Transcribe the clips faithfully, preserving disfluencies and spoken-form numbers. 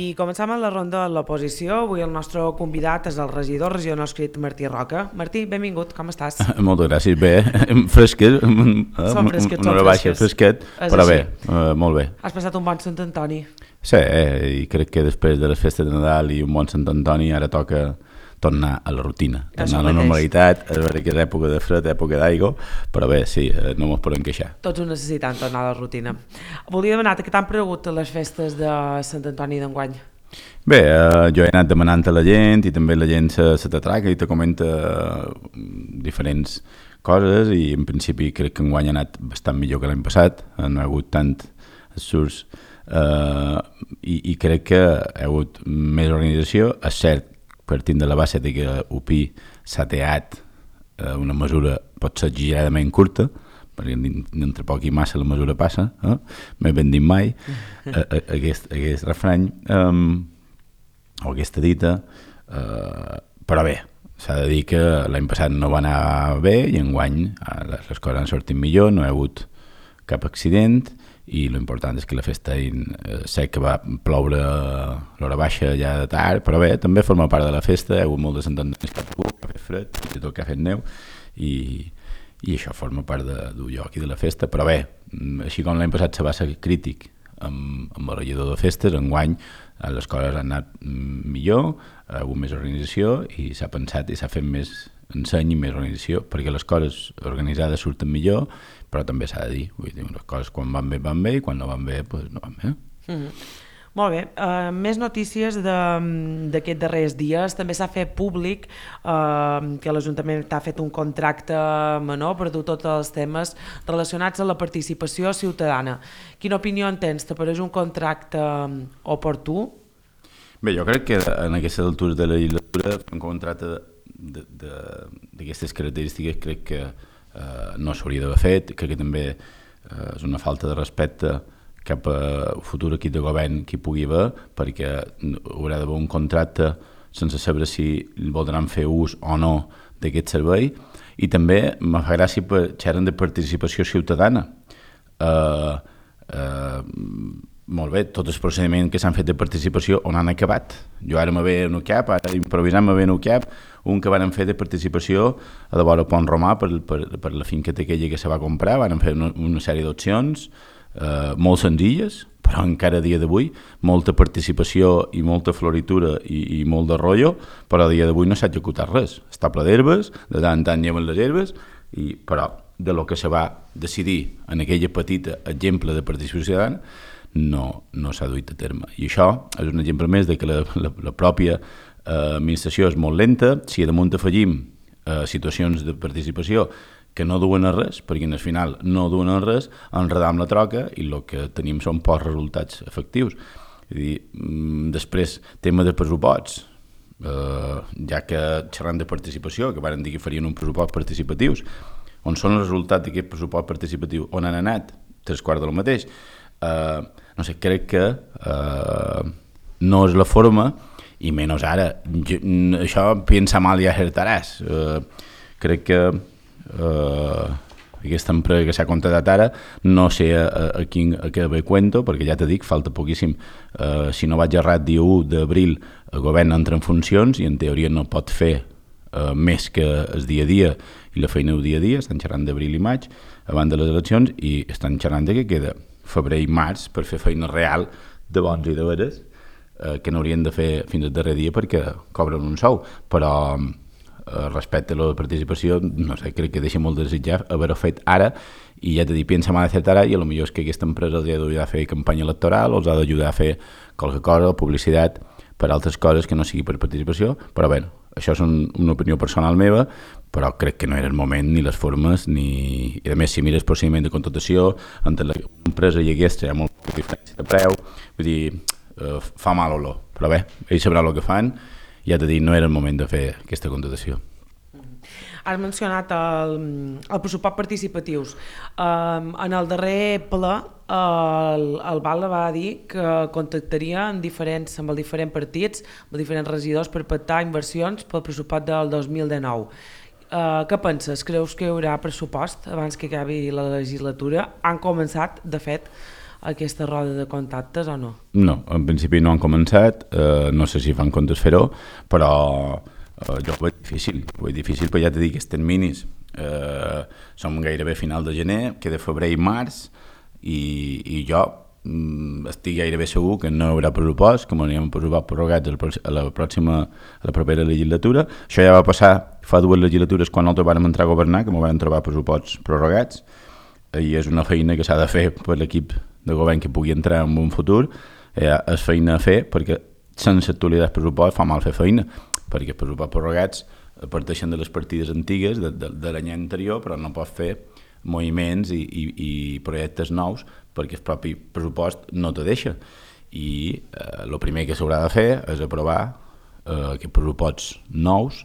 I començam amb la ronda de l'oposició. Avui el nostre convidat és el regidor regional adscrit Martí Roca. Martí, benvingut, com estàs? Moltes gràcies, bé, fresquet, Són fresquets, una hora baixa, fresquet, però bé, uh, molt bé. Has passat un bon Sant Antoni? Sí, eh, i crec que després de les festes de Nadal i un bon Sant Antoni ara toca tornar a la rutina, tornar a la normalitat, és veure que és època de fred, època d'aigua, però bé, sí, no mos podem queixar. Tots ho necessitem, tornar a la rutina. Volia demanar-te què t'han pregut les festes de Sant Antoni d'enguany? Bé, eh, jo he anat demanant a la gent i també la gent se, se t'atraca i te comenta diferents coses i en principi crec que enguany ha anat bastant millor que l'any passat, no ha hagut tant surts eh, i, i crec que hi ha hagut més organització. És cert, partint de la base de que U P I s'ha teat eh, una mesura pot ser exageradament curta, perquè entre poc i massa la mesura passa, eh? M'he ben dit mai, eh, aquest, aquest refrany, eh, o aquesta dita, eh, però bé, s'ha de dir que l'any passat no va anar bé i enguany les, les coses han sortit millor, no hi ha hagut cap accident i l'important és que la festa eh, sé que va ploure l'hora baixa ja de tard, però bé, també forma part de la festa, hi ha hagut molt de Sant Antoni que ha fet fred, i tot que ha fet neu i, i això forma part de, d'un lloc i de la festa, però bé, així com l'any passat se va ser crític amb, amb el regidor de festes, enguany les coses han anat millor, hi ha hagut més organització i s'ha pensat i s'ha fet més enseny i més organització, perquè les coses organitzades surten millor, però també s'ha de dir, vull dir, les coses quan van bé van bé i quan no van bé, doncs no van bé. Mm-hmm. Molt bé, uh, més notícies d'aquests darrers dies. També s'ha fet públic uh, que l'Ajuntament ha fet un contracte menor per dur tots els temes relacionats amb la participació ciutadana. Quina opinió en tens? T'apareix un contracte oportú? Bé, jo crec que en aquestes altures de la legislatura un contracte d'aquestes característiques crec que eh, no s'hauria d'haver fet, crec que també eh, és una falta de respecte cap a futur equip de govern que hi pugui haver, perquè haurà d'haver un contracte sense saber si voldran fer ús o no d'aquest servei, i també me fa gràcia per xerren de participació ciutadana. Eh, eh, molt bé, tots els procediments que s'han fet de participació on han acabat. Jo ara me ve en un cap, ara improvisant me ve en un cap, un que van fer de participació a de vora Pont Romà per, per, per la finqueta aquella que se va comprar, van fer una, una sèrie d'opcions eh, molt senzilles, però encara a dia d'avui molta participació i molta floritura i, i molt de rotllo, però a dia d'avui no s'ha executat res. Està ple d'herbes, de tant en tant lleven les herbes, i, però de lo que se va decidir en aquella petita exemple de participació ciutadana no, no s'ha duit a terme. I això és un exemple més de que la, la, la pròpia eh, administració és molt lenta. Si damunt afegim eh, situacions de participació que no duen a res, perquè al final no duen a res, enredam la troca i el que tenim són pocs resultats efectius. És dir, després, tema de pressuposts, eh, ja que xerrant de participació, que van dir que farien un pressupost participatius, on són els resultats d'aquest pressupost participatiu, on han anat, tres quarts del mateix, Uh, no sé, crec que uh, no és la forma i menys ara jo, això pensa mal i acertaràs. Uh, crec que uh, aquesta empresa que s'ha contratat ara no sé a, a, quin, a què ve cuento, perquè ja t'he dit, falta poquíssim. Uh, si no vaig errat, dia u d'abril el govern entra en funcions i en teoria no pot fer uh, més que el dia a dia i la feina del dia a dia. Estan xerrant d'abril i maig abans de les eleccions i estan xerrant de què queda febrer i març per fer feina real de bons i de veres eh, que n'haurien de fer fins al darrer dia perquè cobren un sou, però eh, respecte a la participació no sé, crec que deixa molt de desitjar haver-ho fet ara i ja t'he dit, pensa mal de fer ara i potser és que aquesta empresa els ha d'ajudar a fer campanya electoral o els ha d'ajudar a fer qualque cosa, publicitat per altres coses que no sigui per participació, però bé, això és un, una opinió personal meva, però crec que no era el moment ni les formes ni... I a més, si mires el procediment de contractació entre l'empresa i aquesta hi ha molta diferència de preu, vull dir, eh, fa mal olor, però bé, ells sabran el que fan, ja t'he dit, no era el moment de fer aquesta contractació. Has mencionat el, el pressupost participatius. Um, en el darrer ple el, el Val va dir que contactaria amb, diferents, amb els diferents partits, amb els diferents regidors per pactar inversions pel pressupost del dos mil dinou. Uh, què penses? Creus que hi haurà pressupost abans que acabi la legislatura? Han començat, de fet, aquesta roda de contactes o no? No, en principi no han començat, eh, no sé si fan comptes fer-ho, però eh, jo ho veig difícil, ho veig difícil perquè ja t'he dit que els terminis eh, som gairebé final de gener, queda febrer i març, i, i jo mm, estic gairebé segur que no hi haurà pressupost, que m'aníem a pressupost prorrogats a la pròxima, a la propera legislatura. Això ja va passar fa dues legislatures quan nosaltres vàrem entrar a governar, que m'ho van trobar pressuposts prorrogats, i és una feina que s'ha de fer per l'equip de govern que pugui entrar en un futur. Eh, és feina a fer perquè sense actualitzar el pressupost fa mal fer feina, perquè els pressupostos prorrogats parteixen de les partides antigues de, de, de l'any anterior, però no pots fer moviments i, i, i projectes nous perquè el propi pressupost no te deixa. I el eh, primer que s'haurà de fer és aprovar eh, aquests pressuposts nous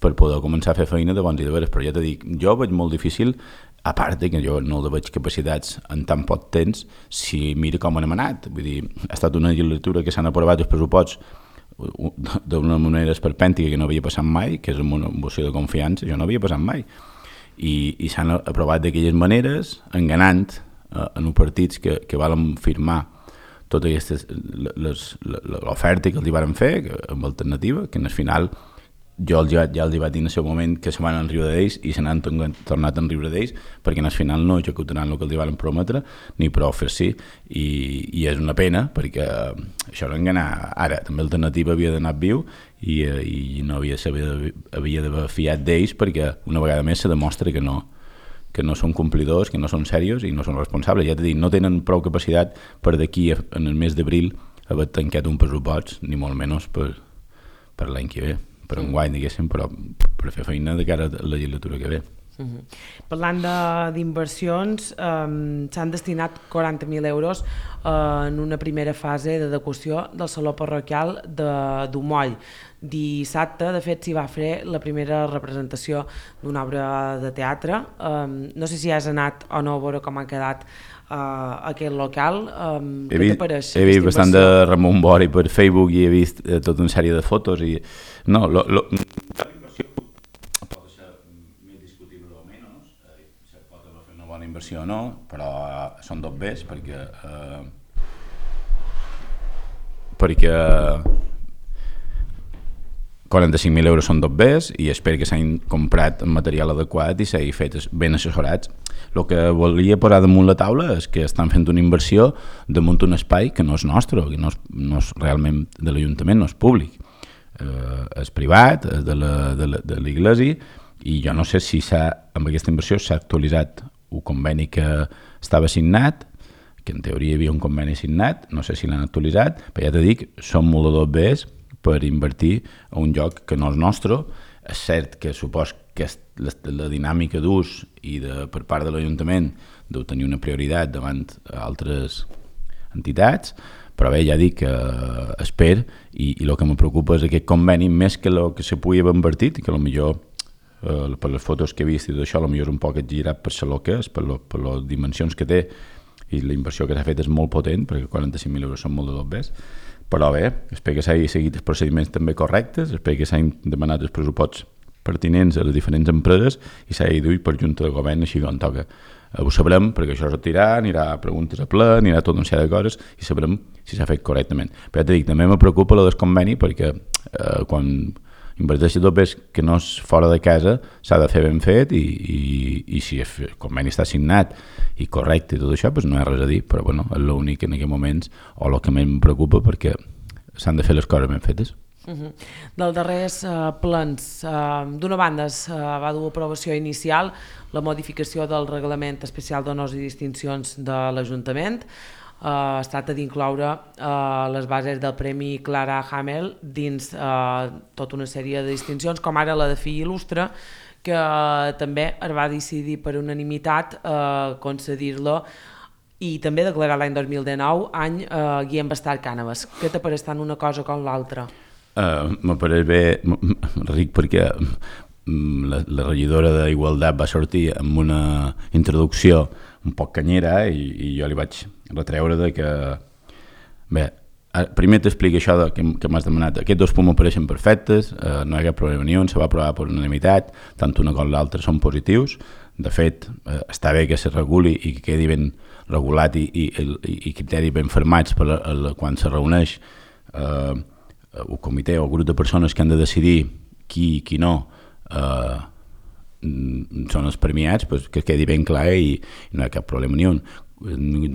per poder començar a fer feina de bons i de veres. Però ja t'he dit, jo veig molt difícil, a part que jo no veig capacitats en tan poc temps, si mira com han anat. Vull dir, ha estat una legislatura que s'han aprovat els pressuposts d'una manera esperpèntica que no havia passat mai, que és amb una moció de confiança, això no havia passat mai. I, i s'han aprovat d'aquelles maneres, enganant eh, en uns partits que, que valen firmar totes aquestes, l'oferta que els hi varen fer, que, amb alternativa, que en el final jo els, ja els hi vaig dir en el seu moment que se van enriure d'ells i se n'han tornat a enriure d'ells perquè en el final no executaran el que els hi van prometre ni prou fer-s'hi, i, i és una pena perquè això era enganar. Ara també l'alternativa havia d'anar viu i, i no havia, havia d'haver fiat d'ells perquè una vegada més se demostra que no, que no són complidors, que no són serios i no són responsables. Ja t'he dit, no tenen prou capacitat per d'aquí en el mes d'abril haver tancat un pressupost, ni molt menys per, per l'any que ve, per enguany, diguéssim, però per fer feina de cara a la legislatura que ve. Uh-huh. Parlant d'inversions, um, s'han destinat quaranta mil euros uh, en una primera fase d'adequació del Saló Parroquial d'Umoll. Dissabte, de fet, s'hi va fer la primera representació d'una obra de teatre. Um, no sé si has anat o no a veure com ha quedat uh, aquest local. Um, he vist, he vist bastant de Ramon Bori per Facebook i he vist eh, tota una sèrie de fotos i no, lo, lo, bona inversió o no, però són dos bés perquè eh, perquè quaranta-cinc mil euros són dos bés i espero que s'hagin comprat material adequat i s'hagi fet ben assessorats. El que volia posar damunt la taula és que estan fent una inversió damunt un espai que no és nostre, que no és, no és realment de l'Ajuntament, no és públic, eh, és privat, és de l'Església, i jo no sé si amb aquesta inversió s'ha actualitzat un conveni que estava signat, que en teoria hi havia un conveni signat, no sé si l'han actualitzat, però ja t'he dit, són molt de dos bés per invertir a un lloc que no és nostre. És cert que supos que la, la dinàmica d'ús i de, per part de l'Ajuntament deu tenir una prioritat davant altres entitats, però bé, ja dic que eh, espero, i, i el que me preocupa és aquest conveni, més que el que se pugui haver invertit, que potser Uh, per les fotos que he vist i tot això, potser és un poc exagerat per ser el que és, per, lo, per les dimensions que té, i la inversió que s'ha fet és molt potent, perquè quaranta-cinc mil euros són molt de dos bés, però bé, espero que s'hagi seguit els procediments també correctes, espero que s'hagin demanat els pressuposts pertinents a les diferents empreses i s'hagi duit per junta de govern així com toca. Uh, ho sabrem, perquè això es retirà, anirà a preguntes a ple, anirà tot un sèrie de coses i sabrem si s'ha fet correctament. Però ja t'he dit, també me preocupa el desconveni perquè uh, quan inverteixi tot bé que no és fora de casa, s'ha de fer ben fet i, i, i si el conveni està signat i correcte i tot això, doncs no hi ha res a dir, però bueno, és l'únic en aquests moments o el que més em preocupa perquè s'han de fer les coses ben fetes. Uh-huh. Dels darrers uh, plans, uh, d'una banda es uh, va dur aprovació inicial la modificació del reglament especial d'honors i distincions de l'Ajuntament. Uh, es tracta d'incloure uh, les bases del Premi Clara Hamel dins uh, tota una sèrie de distincions, com ara la de Fill Il·lustre, que uh, també es va decidir per unanimitat uh, concedir-lo i també declarar l'any dos mil dinou any uh, Guillem Bastard Cànovas. Què te pareix tant una cosa com l'altra? Uh, me pareix bé, ric, perquè la, la regidora d'Igualtat va sortir amb una introducció un poc canyera i, i jo li vaig retreure de que bé, primer t'explico això de, que, que m'has demanat. Aquests dos punts m'apareixen perfectes, eh, no hi ha cap problema ni un, se va aprovar per unanimitat, tant una com l'altra són positius. De fet, eh, està bé que se reguli i que quedi ben regulat i, i, i, i criteris ben formats per a, a, quan se reuneix eh, el comitè o el grup de persones que han de decidir qui i qui no eh, són els premiats, pues, que quedi ben clar i, i no hi ha cap problema ni un.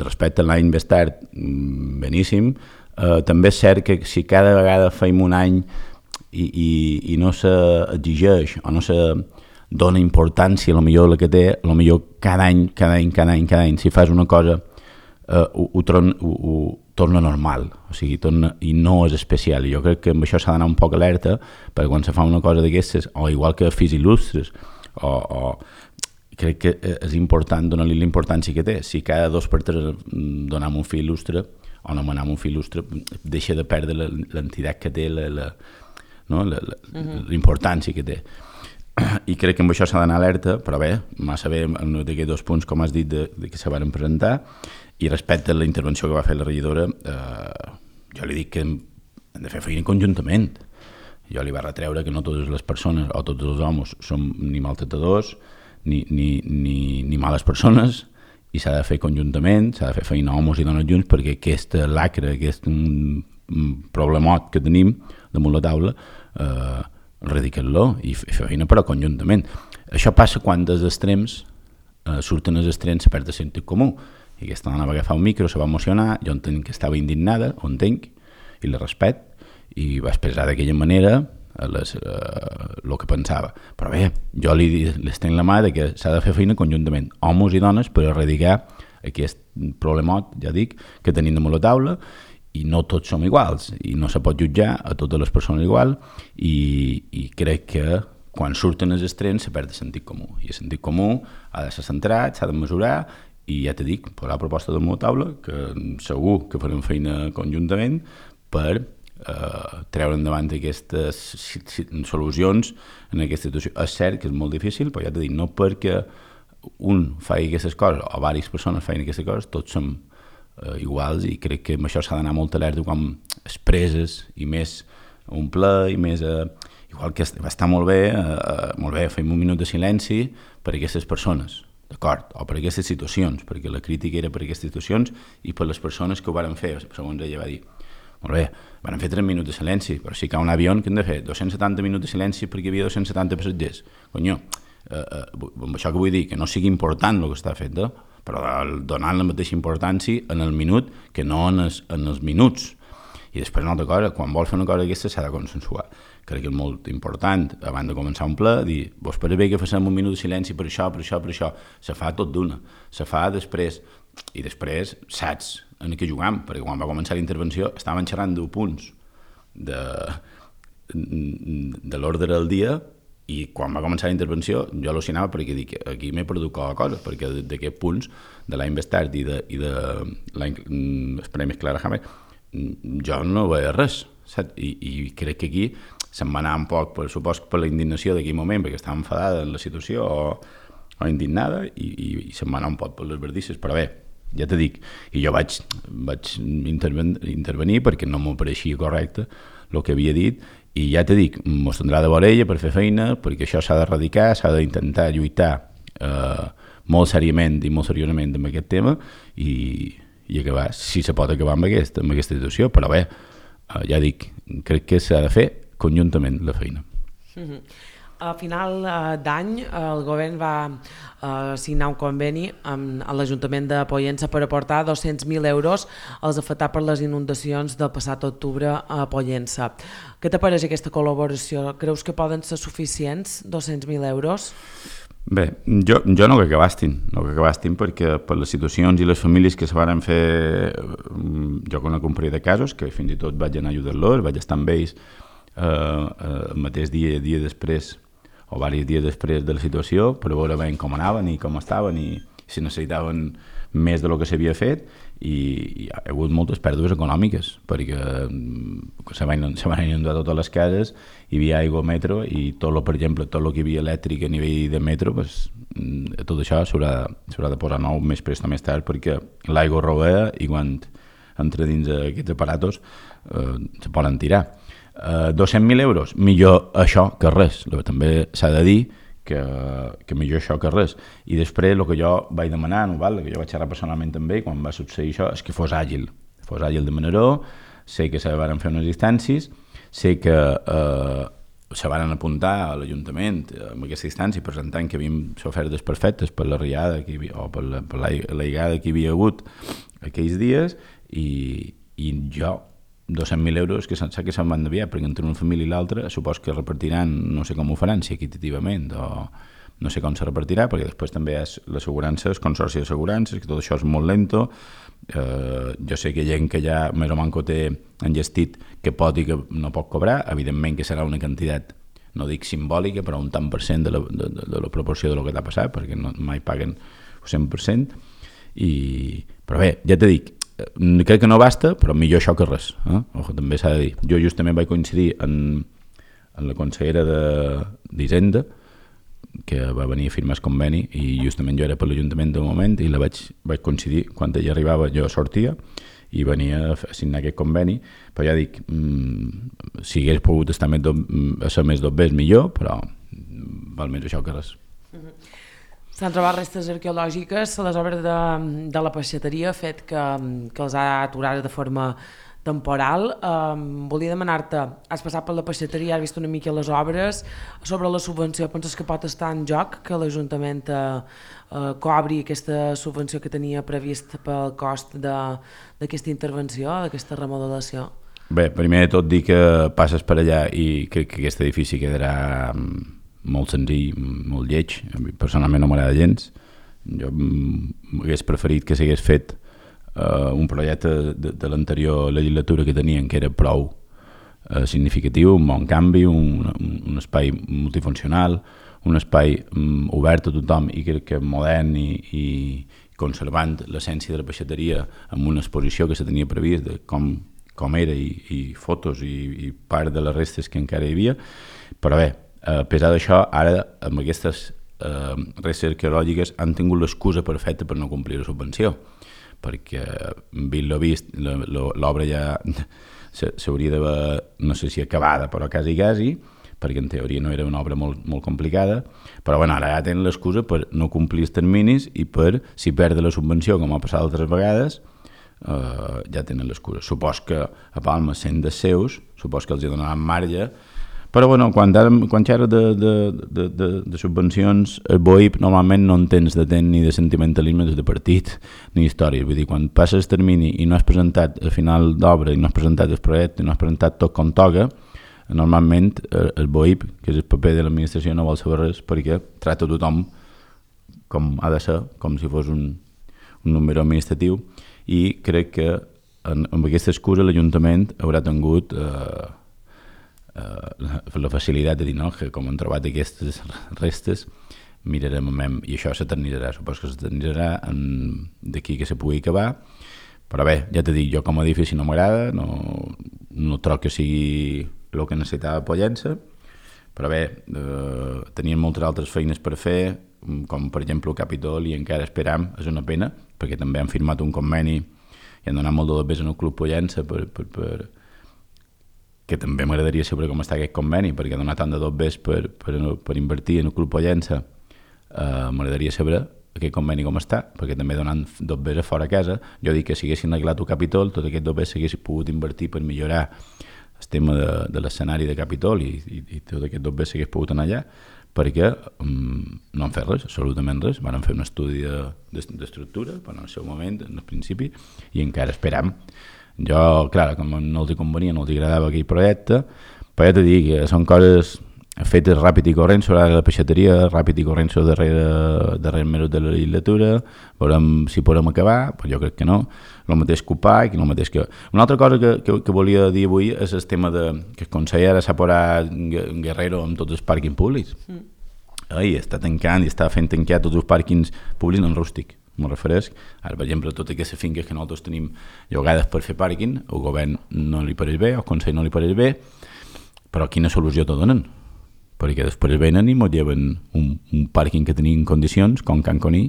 Respecte a l'any més tard, beníssim. Uh, també és cert que si cada vegada feim un any i, i, i no s'exigeix o no se dona importància a lo millor la que té, a lo millor cada any, cada any, cada any, cada any, si fas una cosa uh, ho, ho, tron, ho, ho torna normal, o sigui, torna, i no és especial. I jo crec que amb això s'ha d'anar un poc alerta, perquè quan se fa una cosa d'aquestes, o igual que fills il·lustres, o, o crec que és important donar-li l'importància que té. Si cada dos per tres donem un fill il·lustre o nomenem un fill il·lustre, deixa de perdre l'entitat que té, la, la, no? la, la, uh-huh. l'importància que té. I crec que amb això s'ha d'anar alerta, però bé, massa bé d'aquests dos punts, com has dit, de, de que se van presentar, i respecte a la intervenció que va fer la regidora, eh, jo li dic que hem de fer feina conjuntament. Jo li va retreure que no totes les persones o tots els homes som ni maltractadors, ni, ni, ni, ni males persones, i s'ha de fer conjuntament, s'ha de fer feina homes i dones junts, perquè aquesta lacra, aquest problemot que tenim damunt la taula, eh, erradicar-lo i fer feina però conjuntament. Això passa quan dels extrems eh, surten els extrems, se perd el sentit comú. I aquesta dona va agafar un micro, se va emocionar, jo entenc que estava indignada, ho entenc, i la respecto, i va expressar d'aquella manera el eh, que pensava. Però bé, jo li, li estenc la mà de que s'ha de fer feina conjuntament, homes i dones, per erradicar aquest problemot, ja dic, que tenim damunt la taula, i no tots som iguals, i no se pot jutjar a totes les persones igual, i, i crec que quan surten els extrems se perd el sentit comú, i el sentit comú ha de ser centrat, s'ha de mesurar, i ja t'he dit, posar proposta damunt la taula, que segur que farem feina conjuntament per Uh, treure endavant aquestes solucions en aquesta situació. És cert que és molt difícil, però ja t'he dit, no perquè un faci aquestes coses o diverses persones facin aquestes coses, tots som uh, iguals, i crec que amb això s'ha d'anar molt alerta quan es preses i més un ple i més uh, igual que va estar molt bé, uh, molt bé, fem un minut de silenci per aquestes persones, d'acord, o per aquestes situacions, perquè la crítica era per aquestes situacions i per les persones que ho varen fer, segons ella va dir. Molt bé, van fer tres minuts de silenci, però si cau un avió que hem de fer dos-cents setanta minuts de silenci perquè hi havia dos-cents setanta passatgers. Conyo, eh, eh, amb això que vull dir, que no sigui important el que està fet, eh? Però donant la mateixa importància en el minut que no en els, en els minuts. I després una altra cosa, quan vols fer una cosa d'aquesta s'ha de consensuar. Crec que és molt important, abans de començar un ple, dir, vos pare bé que facem un minut de silenci per això, per això, per això. Se fa tot d'una, se fa després, i després saps en què jugam, perquè quan va començar la intervenció estaven xerrant deu punts de, de l'ordre del dia, i quan va començar la intervenció jo al·lucinava perquè dic, aquí m'he perdut qualque cosa, perquè d'aquests punts de l'any més tard i de, i de l'any els premis Clara Hammer jo no veia res, saps? I, i crec que aquí se'm va anar un poc, per supos, per la indignació d'aquell moment, perquè estava enfadada en la situació o, o indignada, i, i, i se'm va anar un poc per les verdisses, però bé, ja t'he dic, i jo vaig, vaig interven, intervenir perquè no m'ho pareixia correcte el que havia dit, i ja t'he dit, m'ho tindrà de veure ella per fer feina, perquè això s'ha d'erradicar, s'ha d'intentar lluitar eh, molt seriament i molt seriosament amb aquest tema, i, i acabar, si se pot acabar amb, aquest, amb aquesta situació, però bé, eh, ja dic, crec que s'ha de fer conjuntament la feina. Mm-hmm. A final d'any el govern va eh, signar un conveni amb l'Ajuntament de Pollença per aportar dos-cents mil euros als afectats per les inundacions del passat octubre a Pollença. Què t'apareix aquesta col·laboració? Creus que poden ser suficients dos-cents mil euros? Bé, jo, jo no crec que bastin, no crec que bastin perquè per les situacions i les famílies que se van fer, jo conec un parell de casos que fins i tot vaig anar a ajudar-los, vaig estar amb ells eh, el mateix dia, dia després o diversos dies després de la situació per veure ben com anaven i com estaven i si necessitaven més del que s'havia fet, i hi ha hagut moltes pèrdues econòmiques perquè se van, se van inundar totes les cases, hi havia aigua al metro i tot lo, per exemple, tot el que hi havia elèctric a nivell de metro, pues, tot això s'haurà de posar nou més prest o més tard perquè l'aigua rovea i quan entre dins aquests aparatos eh, se poden tirar. Eh, dos-cents mil euros, millor això que res. També s'ha de dir que, que millor això que res. I després el que jo vaig demanar, no, val? Que jo vaig xerrar personalment també quan va succeir això, és que fos àgil. Fos àgil de Manaró, sé que se van fer unes instàncies, sé que eh, se van apuntar a l'Ajuntament en aquesta instància presentant que havíem sofert desperfectes per la riada que havia, o per la, per la, la lligada que hi havia hagut aquells dies i, i jo dos-cents mil euros que sap que se'n van enviar perquè entre una família i l'altra supos que repartiran, no sé com ho faran, si equitativament o no sé com se repartirà, perquè després també hi ha l'assegurança, el consorci d'assegurances, que tot això és molt lento. Eh, jo sé que gent que ja més o manco té enllestit que pot i que no pot cobrar, evidentment que serà una quantitat, no dic simbòlica, però un tant per cent de la, de, de la proporció del que t'ha passat, perquè no, mai paguen el cent per cent. I, però bé, ja t'he dit, crec que no basta, però millor això que res. Eh? Ojo, també s'ha de dir. Jo justament vaig coincidir en, en la consellera d'Hisenda, que va venir a firmar el conveni i justament jo era per l'Ajuntament de moment i la vaig, vaig coincidir, quan ella arribava jo sortia i venia a signar aquest conveni, però ja dic mmm, si hagués pogut estar més do, a ser més dos vegades millor, però val més això que res. S'han trobat restes arqueològiques a les obres de, de la peixateria, fet que, que els ha aturat de forma temporal. Um, volia demanar-te, has passat per la peixateria, has vist una mica les obres, sobre la subvenció, penses que pot estar en joc que l'Ajuntament uh, uh, cobri aquesta subvenció que tenia previst pel cost d'aquesta intervenció, d'aquesta remodelació? Bé, primer de tot dir que passes per allà i crec que aquest edifici quedarà molt senzill, molt lleig. Personalment no m'agrada gens. Jo m'hagués preferit que s'hagués fet Uh, un projecte de, de l'anterior legislatura que tenien, que era prou uh, significatiu, un bon canvi, un, un, un espai multifuncional, un espai um, obert a tothom i crec que modern i, i conservant l'essència de la peixateria amb una exposició que se tenia previst de com, com era i, i fotos i, i part de les restes que encara hi havia. Però bé, a pesar d'això, ara amb aquestes uh, restes arqueològiques han tingut l'excusa perfecta per no complir la subvenció, perquè vist lo vist l'obra ja s'hauria d'haver, no sé si acabada, però quasi quasi, perquè en teoria no era una obra molt, molt complicada, però bueno, ara ja tenen l'excusa per no complir els terminis i per, si perd la subvenció, com ha passat altres vegades, eh, ja tenen l'excusa. Supos que a Palma, sent dels seus, supos que els hi donaran marge, però bueno, quan, quan xerres de, de, de, de, de subvencions, el B O I P normalment no entens de temps ni de sentimentalisme des de partit ni història. Vull dir, quan passes el termini i no has presentat el final d'obra i no has presentat el projecte i no has presentat tot com toca, normalment el B O I P, que és el paper de l'administració, no vol saber res perquè tracta tothom com ha de ser, com si fos un, un número administratiu, i crec que en, amb aquesta excusa l'Ajuntament haurà tingut eh, Uh, la facilitat de dir no, que com han trobat aquestes restes mirarem amb, i això s'eternitzarà, supos que s'eternitzarà d'aquí que se pugui acabar, però bé, ja t'he dit, jo com a edifici no m'agrada, no, no trobo que sigui el que necessitava Pollença, però bé, eh, tenien moltes altres feines per fer, com per exemple el Capitol, i encara esperam, és una pena, perquè també han firmat un conveni i han donat molt de bes en el Club Pollença per, per, per que també m'agradaria saber com està aquest conveni, perquè ha donat tant de dos bes per, per, per invertir en el Club Pollença, eh, m'agradaria saber aquest conveni com està, perquè també donant dos bes a fora a casa, jo dic que si haguessin arreglat el Capitol, tot aquest dos bes s'haguessin pogut invertir per millorar el tema de, de l'escenari de Capitol i, i, i tot aquest dos bes s'hagués pogut anar allà, perquè um, no han fet res, absolutament res, van fer un estudi d'estructura, però en el seu moment, en el principi, i encara esperam. Jo, clar, com no els convenia, no els agradava aquell projecte, però ja t'he dit que són coses fetes ràpid i corrent sobre la peixateria, ràpid i corrent sobre darrere, darrere menut de la legislatura, veurem si podem acabar, però jo crec que no, el mateix que Upac, el mateix que... Una altra cosa que, que, que volia dir avui és el tema de que el Consell ara s'ha posat guerrero amb tots els pàrquings públics. Mm. I està tancant i està fent tancar tots els pàrquings públics en rústic. Me'n refereix, ara per exemple totes aquestes finques que nosaltres tenim llogades per fer pàrquing, el govern no li pareix bé, el Consell no li pareix bé, però quina solució te donen? Perquè després venen i ens lleven un, un pàrquing que tenim en condicions, com Can Coní,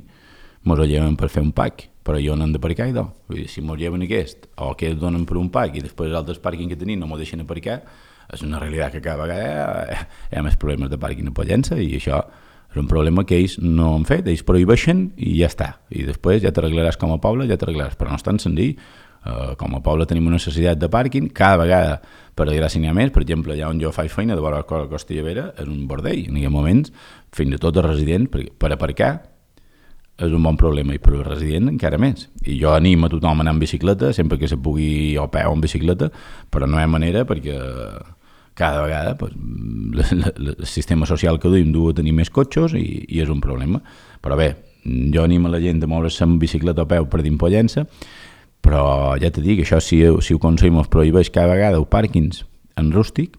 ens ho lleven per fer un pack, però jo no hem d'aparcar i do. Vull dir, si mos lleven aquest, o que es donen per un parc i després els altres pàrquings que tenim no m'ho deixen aparcar, és una realitat que cada vegada hi ha més problemes de pàrquing a Pollença i això és un problema que ells no han fet, ells prohibeixen i ja està. I després ja t'arreglaràs com a poble, ja t'arreglaràs, però no és tan senzill. Uh, com a poble tenim una necessitat de pàrquing, cada vegada, per desgràcia n'hi ha més, per exemple, allà on jo faig feina, de vora la Costa Llevera, és un bordell, en aquests moments, fins i tot els residents, per, per aparcar, és un bon problema, i per al resident encara més. I jo animo a tothom a anar en bicicleta, sempre que se pugui o a peu o en bicicleta, però no hi ha manera perquè cada vegada pues, el sistema social que duim du a tenir més cotxes i, i és un problema. Però bé, jo animo la gent a moure's en bicicleta o peu per dins Pollença, però ja t'he dit que això si, si ho aconseguim es prohibeix cada vegada els pàrquings en rústic,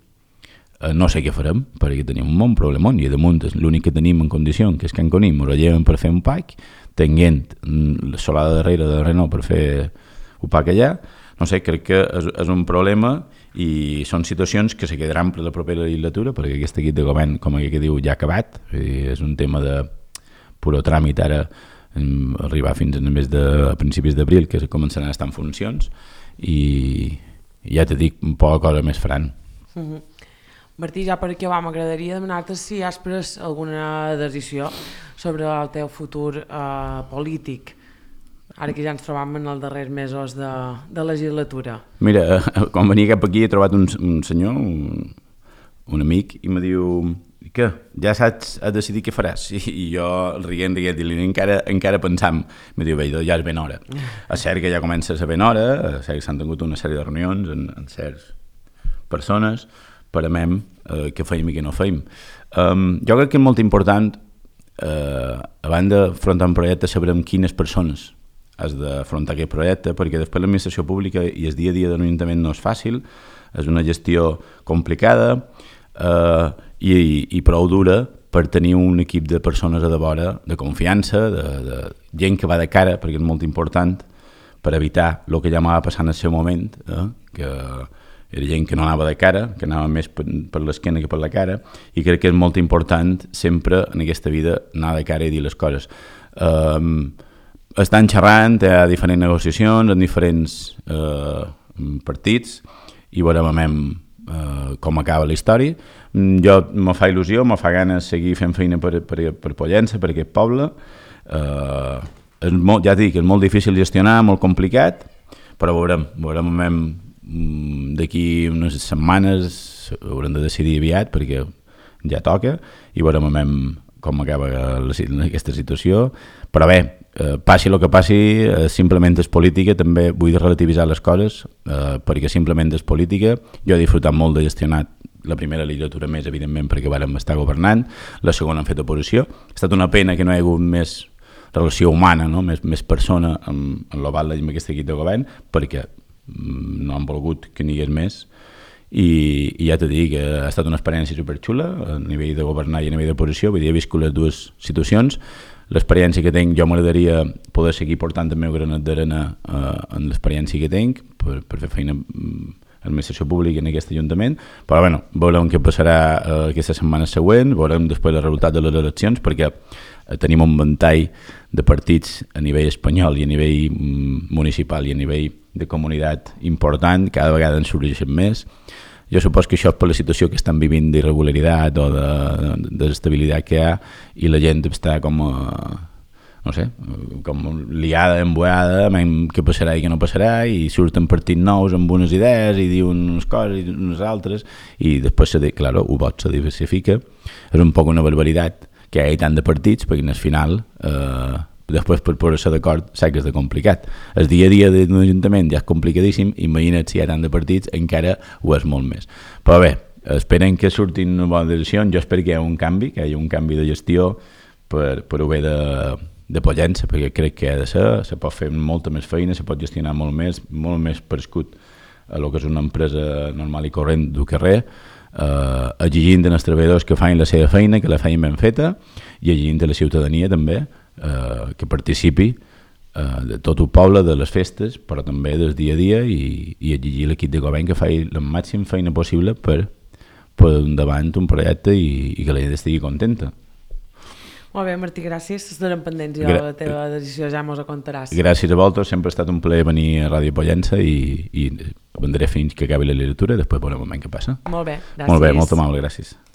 eh, no sé què farem, perquè tenim un bon problemon i damunt l'únic que tenim en condició que és que en Conim ho lleven per fer un pack, tenint la solada darrere de Renault per fer un pack allà, no sé, crec que és, és un problema i són situacions que se quedaran per la propera legislatura perquè aquest equip de govern, com que diu, ja ha acabat, és un tema de puro tràmit ara, arribar fins a més de a principis d'abril que començaran a estar en funcions i, i ja t'he dit poca cosa més faran. Mm-hmm. Martí, ja per acabar m'agradaria demanar-te si has pres alguna decisió sobre el teu futur eh, polític ara que ja ens trobam en els darrers mesos de, de legislatura. Mira, quan venia cap aquí he trobat un, un senyor, un, un amic, i me diu, què? Ja saps a decidir què faràs? I, i jo rient, rient, i encara, encara pensam, me diu, bé, ja és ben hora. És cert que ja comença a ser ben hora, és cert que s'han tingut una sèrie de reunions amb, amb certes persones, parem eh, què feim i què no feim. Um, jo crec que és molt important, eh, abans d'afrontar un projecte, sabrem quines persones has d'afrontar aquest projecte, perquè després l'administració pública i el dia a dia de l'Ajuntament no és fàcil, és una gestió complicada eh, i, i prou dura per tenir un equip de persones a de vora, de confiança, de, de gent que va de cara, perquè és molt important per evitar el que ja m'ava passat en el seu moment, eh, que era gent que no anava de cara, que anava més per, per l'esquena que per la cara, i crec que és molt important sempre en aquesta vida anar de cara i dir les coses. Eh, estan xerrant, hi ha diferents negociacions en diferents eh, partits i veurem eh, com acaba la història. Jo me fa il·lusió, me fa ganes seguir fent feina per, per, per Pollença, per aquest poble. Eh, és molt, ja dic, és molt difícil gestionar, molt complicat, però veurem, veurem d'aquí unes setmanes haurem de decidir aviat perquè ja toca i veurem com acaba la, aquesta situació, però bé, eh, passi el que passi, eh, simplement és política, també vull relativitzar les coses, eh, perquè simplement és política. Jo he disfrutat molt de gestionar la primera legislatura més, evidentment, perquè vàrem estar governant, la segona han fet oposició. Ha estat una pena que no hi ha hagut més relació humana, no? més, més persona amb, amb l'Oval amb aquest equip de govern, perquè mm, no han volgut que n'hi hagués més. I, i ja t'he dit que ha estat una experiència superxula a nivell de governar i a nivell d'oposició, vull dir, he viscut les dues situacions. L'experiència que tinc, jo m'agradaria poder seguir portant el meu granet d'arena eh, en l'experiència que tinc per, per fer feina en l'administració pública en aquest ajuntament, però bueno, veurem què passarà eh, aquesta setmana següent, veurem després el resultat de les eleccions, perquè eh, tenim un ventall de partits a nivell espanyol i a nivell mm, municipal i a nivell de comunitat important, cada vegada en sorgeixen més. Jo supos que això és per la situació que estan vivint d'irregularitat o d'estabilitat que hi ha i la gent està com, no sé, com liada, emboada, què passarà i què no passarà, i surten partits nous amb unes idees i diuen unes coses i unes altres, i després, se, claro, el vot se diversifica. És un poc una barbaritat que hi ha tant de partits, perquè al final eh, després per posar-se d'acord sé que és de complicat. El dia a dia d'un ajuntament ja és complicadíssim, imagina't si hi ha tant de partits, encara ho és molt més. Però bé, esperen que surtin una bona decisió, jo espero que hi hagi un canvi, que hi hagi un canvi de gestió per, per ho bé de, de Pollença, perquè crec que ha de ser, se pot fer molta més feina, se pot gestionar molt més, molt més prescut a el que és una empresa normal i corrent del carrer, eh, exigint als treballadors que facin la seva feina, que la facin ben feta, i exigint a la ciutadania també, Uh, que participi uh, de tot el poble, de les festes, però també del dia a dia, i, i exigir l'equip de govern que faci la màxima feina possible per, per endavant un projecte i, i que la gent estigui contenta. Molt bé, Martí, gràcies. Estarem pendents ja de la teva decisió, ja mos ho contaràs. Gràcies a vosaltres, sempre ha estat un plaer venir a Ràdio Pollença i, i vendré fins que acabi la literatura i després veurem què passa. Molt bé, gràcies. Molt bé, molt amable, gràcies.